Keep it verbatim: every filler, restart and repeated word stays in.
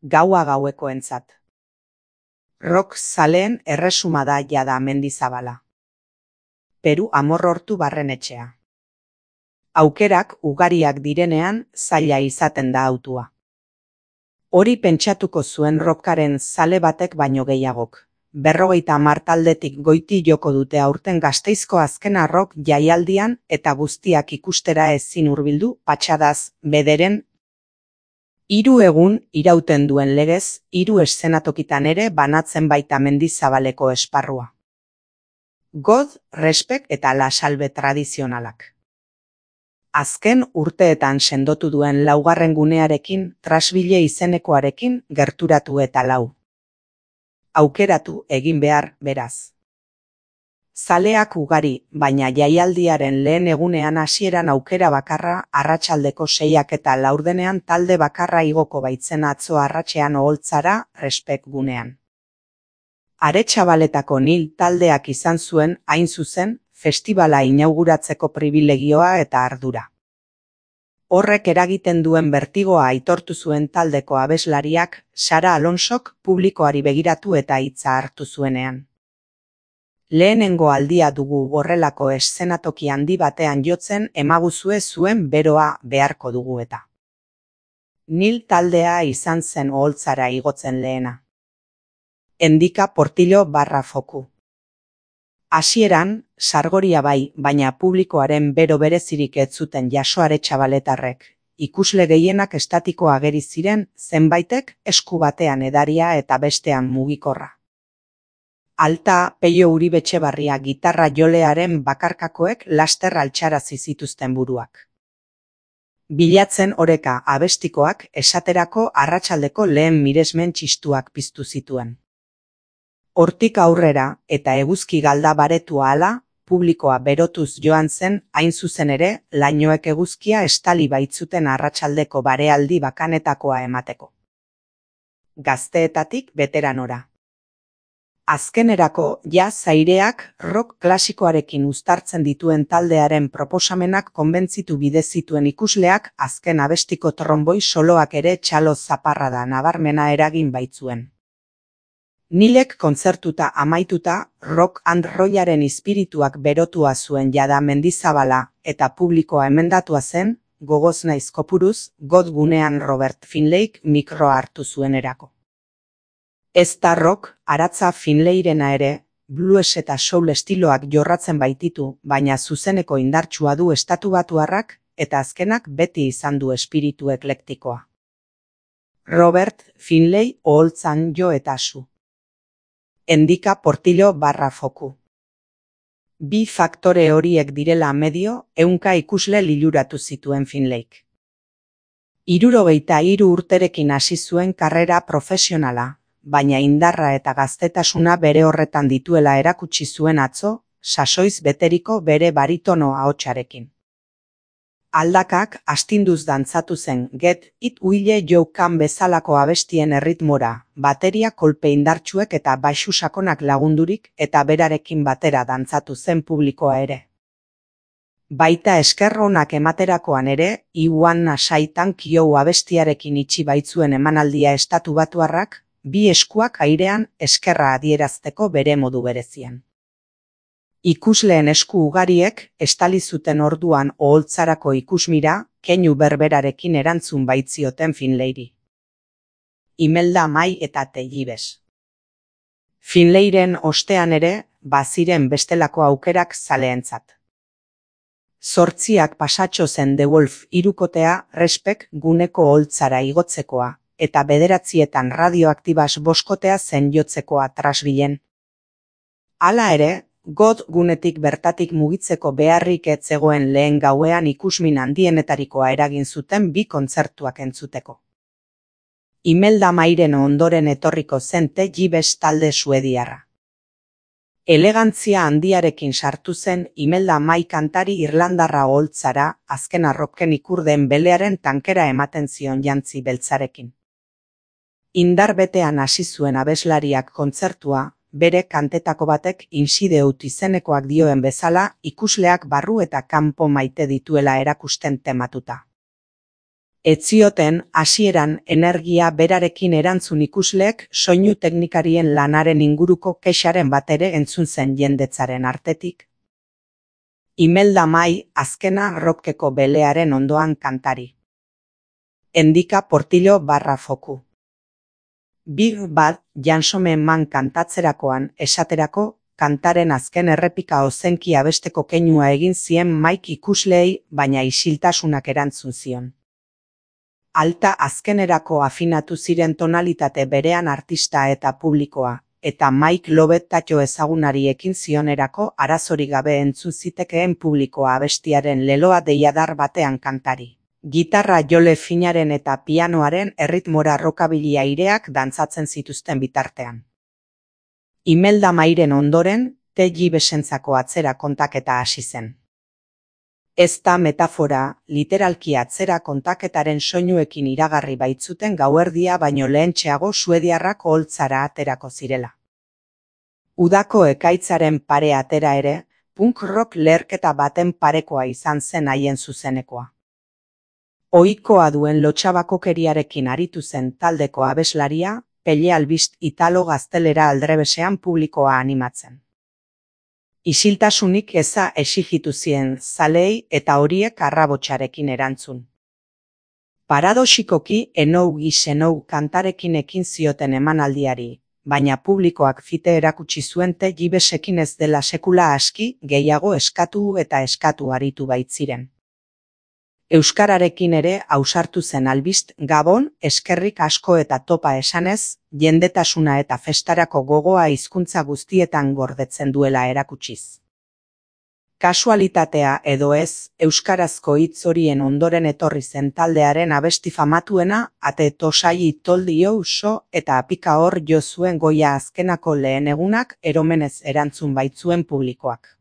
gaua gauekoentzat. Rock zaleen erresuma da jada Mendizabala. Peru Amorrortu barrenetxea. Aukerak ugariak direnean zaila izaten da hautua. Hori pentsatuko zuen rockaren zale batek baino gehiagok. Berrogeita hamar taldetik goiti joko dute aurten Gasteizko azkena rock jaialdian eta guztiak ikustera ezin hurbildu patxadaz bederen. Hiru egun irauten duen legez, hiru eszenatokitan ere banatzen baita Mendizabaleko esparrua. God, Respect eta La Salve tradizionalak. Azken urteetan sendotu duen laugarren gunearekin, Trasbile izenekoarekin gerturatu eta lau. Aukeratu egin behar, beraz. Zaleak ugari, baina jaialdiaren lehen egunean hasieran aukera bakarra arratsaldeko seiak eta laurdenean talde bakarra igoko baitzen atzo arratsean oholtzara Respect gunean. Aretxabaletako Nil taldeak izan zuen, hain zuzen, festibala inauguratzeko pribilegioa eta ardura. Horrek eragiten duen bertigoa aitortu zuen taldeko abeslariak, Sara Alonsok publikoari begiratu eta hitza hartu zuenean. Lehenengo aldia dugu horrelako eszenatoki handi batean jotzen emaguzue zuen beroa beharko dugu eta. Nil taldea izan zen oholtzara igotzen lehena. Endika Portillo barra foku. Hasieran, sargoria bai, baina publikoaren bero berezirik ez zuten jaso Aretxabaletarrek. Ikusle gehienak estatiko ageri ziren, zenbaitek esku batean edaria eta bestean mugikorra. Alta, Peio Uribetxebarria gitarra jolearen bakarkakoek laster altxarazi zituzten buruak. Bilatzen oreka abestikoak esaterako arratsaldeko lehen miresmen txistuak piztu zituen. Hortik aurrera eta eguzki galda baretua hala, publikoa berotuz joan zen, hain zuzen ere, lainoek eguzkia estali baitzuten arratsaldeko barealdi bakanetakoa emateko. Gazteetatik beteranora. Azkenerako, jazz aireak rock klasikoarekin uztartzen dituen taldearen proposamenak konbentzitu bide zituen ikusleak azken abestiko tromboi soloak ere txalo zaparrada nabarmena eragin baitzuen. Nilek kontzertuta amaituta, rock and rollaren espirituak berotua zuen jada Mendizabala eta publikoa emendatua zen, gogoz naiz kopuruz, God gunean Robert Finleyk mikroa hartu zuenerako. Ez da rock, aratza Finleyrena ere, blues eta soul estiloak jorratzen baititu, baina zuzeneko indartsua du estatubatuarrak eta azkenak beti izan du espiritu eklektikoa. Robert Finley oholtzan jo eta su. Endika Portillo barra foku. Bi faktore horiek direla medio, ehunka ikusle liluratu zituen Finleyk. Hirurogeita hiru urterekin hasi zuen karrera profesionala, baina indarra eta gaztetasuna bere horretan dituela erakutsi zuen atzo, sasoiz beteriko bere baritono ahotsarekin. Aldakak astinduz dantzatu zen Get It Will You Can bezalako abestien erritmora, bateria kolpe indartsuek eta baxu sakonak lagundurik eta berarekin batera dantzatu zen publikoa ere. Baita esker onak ematerakoan ere, I Wanna Say Thank You abestiarekin itxi baitzuen emanaldia estatubatuarrak, bi eskuak airean eskerra adierazteko bere modu berezian. Ikusleen esku ugariek estali zuten orduan oholtzarako ikusmira, keinu berberarekin erantzun baitzioten Finleyri. Imelda Mai eta Tellibes. Finleyren ostean ere, baziren bestelako aukerak zaleentzat. Zortziak pasatxo zen The Wolf hirukotea Respect guneko oholtzara igotzekoa, eta bederatzietan radioaktibas boskotea zen jotzekoa Trasbilen. Hala ere, God gunetik bertatik mugitzeko beharrik ez zegoen lehen gauean ikusmin handienetarikoa eragin zuten bi kontzertuak entzuteko. Imelda Mairen ondoren etorriko zen Tellibes talde suediarra. Elegantzia handiarekin sartu zen Imelda Mai kantari irlandarra oholtzara, azken arroken ikurdeen belearen tankera ematen zion jantzi beltzarekin. Indar betean hasi zuen abeslariak kontzertua, bere kantetako batek insideut izenekoak dioen bezala, ikusleak barru eta kanpo maite dituela erakusten tematuta. Etzioten, hasieran energia berarekin erantzun ikusleek soinu teknikarien lanaren inguruko kexaren bat ere entzun zen jendetzaren artetik. Imelda Mai, azkena rockeko belearen ondoan kantari. Endika Portillo barra foku. Big Bad Jansome Man kantatzerakoan esaterako, kantaren azken errepika ozenki abesteko keinua egin zien Mike ikusleei, baina isiltasunak erantzun zion. Alta azkenerako afinatu ziren tonalitate berean artista eta publikoa, eta Mike Lobetatxo ezagunari ekin zionerako arazorik gabe entzun zitekeen publikoa abestiaren leloa deiadar batean kantari. Gitarra jole finaren eta pianoaren erritmora rockabilly aireak dantzatzen zituzten bitartean. Imelda Mairen ondoren, T J Besentzako atzera kontaketa hasi zen. Ez da metafora, literalki atzera kontaketaren soinuekin iragarri baitzuten gauerdia baino lehentxeago suediarrak oholtzara aterako zirela. Udako ekaitzaren pare atera ere, punk rock leherketa baten parekoa izan zen haien zuzenekoa. Ohikoa duen lotxabakokeriarekin aritu zen taldeko abeslaria, pelle albist italo gaztelera aldrebesean publikoa animatzen. Isiltasunik eza exigitu zien zalei eta horiek arrabotsarekin erantzun. Paradoxikoki enou gisenou kantarekin ekin zioten emanaldiari, baina publikoak fite erakutsi zuen T J Besekin ez dela sekula aski, gehiago eskatu eta eskatu aritu baitziren. Euskararekin ere ausartu zen albist Gabon, eskerrik asko eta topa esanez, jendetasuna eta festarako gogoa hizkuntza guztietan gordetzen duela erakutsiz. Kasualitatea edo ez, euskarazko hitz horien ondoren etorri zen taldearen abesti famatuena, ate tosai toldi you so eta apika hor jo zuen goia azkenako lehen egunak eromenez erantzun baitzuen publikoak.